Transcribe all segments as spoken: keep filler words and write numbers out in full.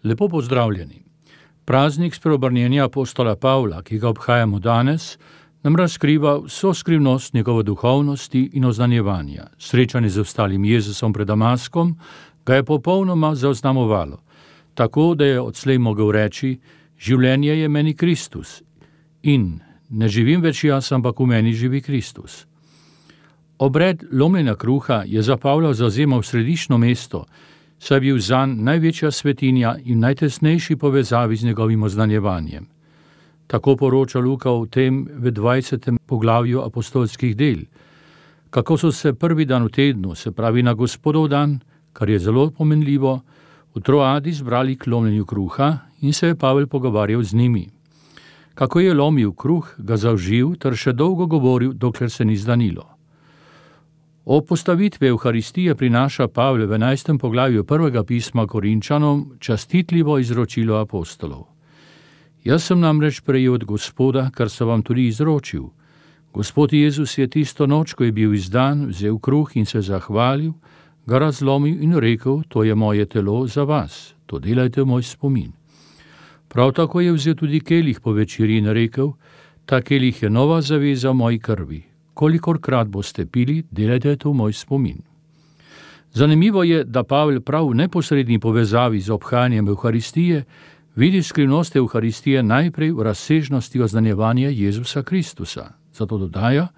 Lepo pozdravljeni. Praznik spreobrnjenja apostola Pavla, ki ga obhajamo danes, nam razkriva vso skrivnost njegove duhovnosti in oznanjevanja. Srečanje z ostalim Jezusom pred Damaskom ga je popolnoma zaznamovalo, tako da je odslej mogel reči: življenje je meni Kristus in ne živim več jaz, ampak v meni živi Kristus. Obred lomljenja kruha je za Pavla zavzemal središčno mesto, saj je bil zanj največja svetinja in najtesnejši povezavi z njegovim oznanjevanjem. Tako poroča Luka o tem v dvajsetem poglavju apostolskih del, kako so se prvi dan v tednu, se pravi na Gospodov dan, kar je zelo pomenljivo, v Troadi zbrali k lomljenju kruha in se je Pavel pogovarjal z njimi. Kako je lomil kruh, ga zaužil ter še dolgo govoril, dokler se ni zdanilo. O postavitvi Evharistije prinaša Pavel v enajstem poglavju prvega pisma Korinčanom častitljivo izročilo apostolov. Jaz sem namreč prejel od Gospoda, kar sem vam tudi izročil. Gospod Jezus je tisto noč, ko je bil izdan, vzel kruh in se zahvalil, ga razlomil in rekel: to je moje telo za vas, to delajte v moj spomin. Prav tako je vzel tudi kelih po večeri in rekel: ta kelih je nova zaveza v moji krvi. Kolikorkrat boste pili, delajte to v moj spomin. Zanimivo je, da Pavel prav v neposredni povezavi z obhajanjem Evharistije vidi skrivnost Evharistije najprej v razsežnosti oznanjevanja Jezusa Kristusa. Zato dodaja: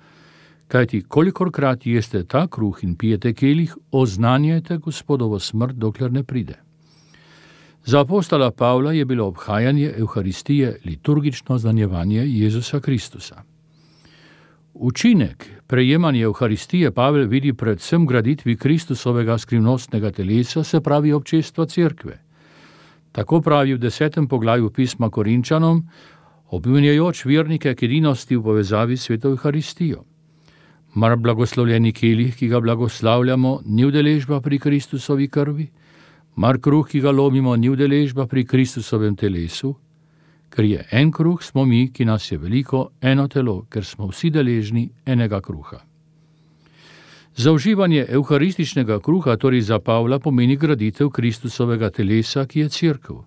kajti kolikorkrat jeste ta kruh in pijete kelih, oznanjajte Gospodovo smrt, dokler ne pride. Za apostola Pavla je bilo obhajanje Evharistije liturgično oznanjevanje Jezusa Kristusa. Učinek prejemanja Evharistije Pavel vidi predvsem graditvi Kristusovega skrivnostnega telesa, se pravi občestva cerkve. Tako pravi v desetem poglavju pisma Korinčanom, obvinjajoč vernike k edinosti v povezavi s sveto Evharistijo. Mar blagoslovljeni kelih, ki ga blagoslavljamo, ni udeležba pri Kristusovi krvi? Mar kruh, ki ga lomimo, ni udeležba pri Kristusovem telesu? Ker je en kruh, smo mi, ki nas je veliko, eno telo, ker smo vsi deležni enega kruha. Za uživanje evharističnega kruha torej za Pavla pomeni graditev Kristusovega telesa, ki je cerkev.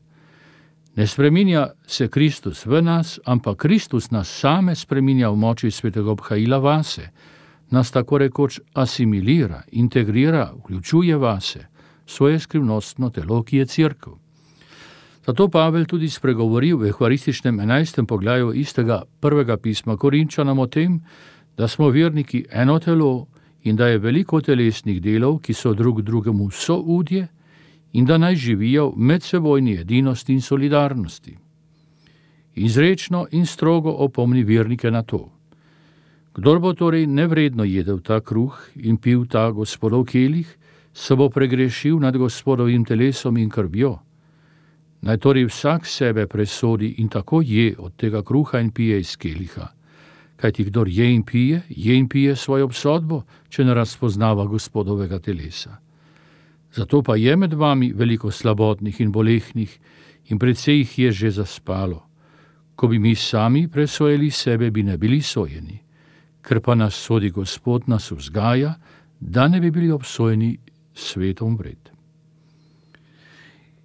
Ne spreminja se Kristus v nas, ampak Kristus nas same spreminja v moči svetega obhajila vase, nas tako rekoč asimilira, integrira, vključuje vase, svoje skrivnostno telo, ki je cerkev. Zato Pavel tudi spregovori v evharističnem enajstem poglavju istega prvega pisma Korinčanom o tem, da smo verniki eno telo in da je veliko telesnih delov, ki so drug drugemu soudje, in da naj živijo v medsebojni edinosti in solidarnosti. Izrečno in strogo opomni vernike na to. Kdor bo torej nevredno jedel ta kruh in pil ta Gospodov kelih, se bo pregrešil nad Gospodovim telesom in krvjo. Naj torej vsak sebe presodi in tako je od tega kruha in pije iz keliha. Kajti kdor je in pije, je in pije svojo obsodbo, če ne razpoznava Gospodovega telesa. Zato pa je med vami veliko slabotnih in bolehnih in precej jih je že zaspalo. Ko bi mi sami presojali sebe, bi ne bili sojeni. Ker pa nas sodi Gospod, nas vzgaja, da ne bi bili obsojeni svetom vred.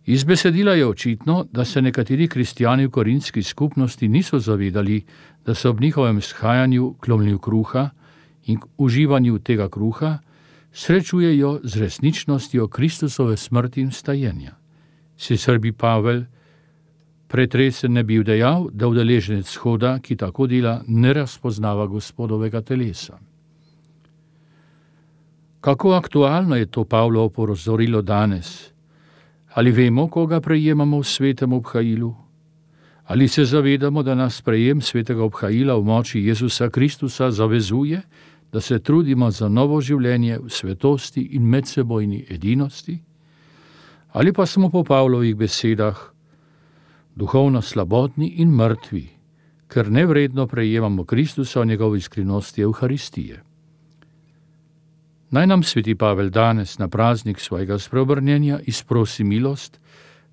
Iz besedila je očitno, da se nekateri kristjani v korinski skupnosti niso zavedali, da se ob njihovem shajanju k lomljenju kruha in k uživanju tega kruha srečujejo z resničnostjo Kristusove smrti in vstajenja. Sicer bi Pavel pretresen ne bil dejal, da udeleženec shoda, ki tako dela, ne razpoznava Gospodovega telesa. Kako aktualno je to Pavlovo opozorilo danes? Ali vemo, koga prejemamo v svetem obhajilu? Ali se zavedamo, da nas prejem svetega obhajila v moči Jezusa Kristusa zavezuje, da se trudimo za novo življenje v svetosti in medsebojni edinosti? Ali pa smo po Pavlovih besedah duhovno slabotni in mrtvi, ker nevredno prejemamo Kristusa v njegovi skrivnosti Evharistije? Naj nam sveti Pavel danes na praznik svojega spreobrnjenja izprosi milost,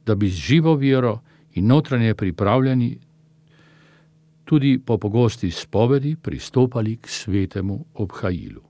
da bi z živo vero in notranje pripravljeni tudi po pogosti spovedi pristopali k svetemu obhajilu.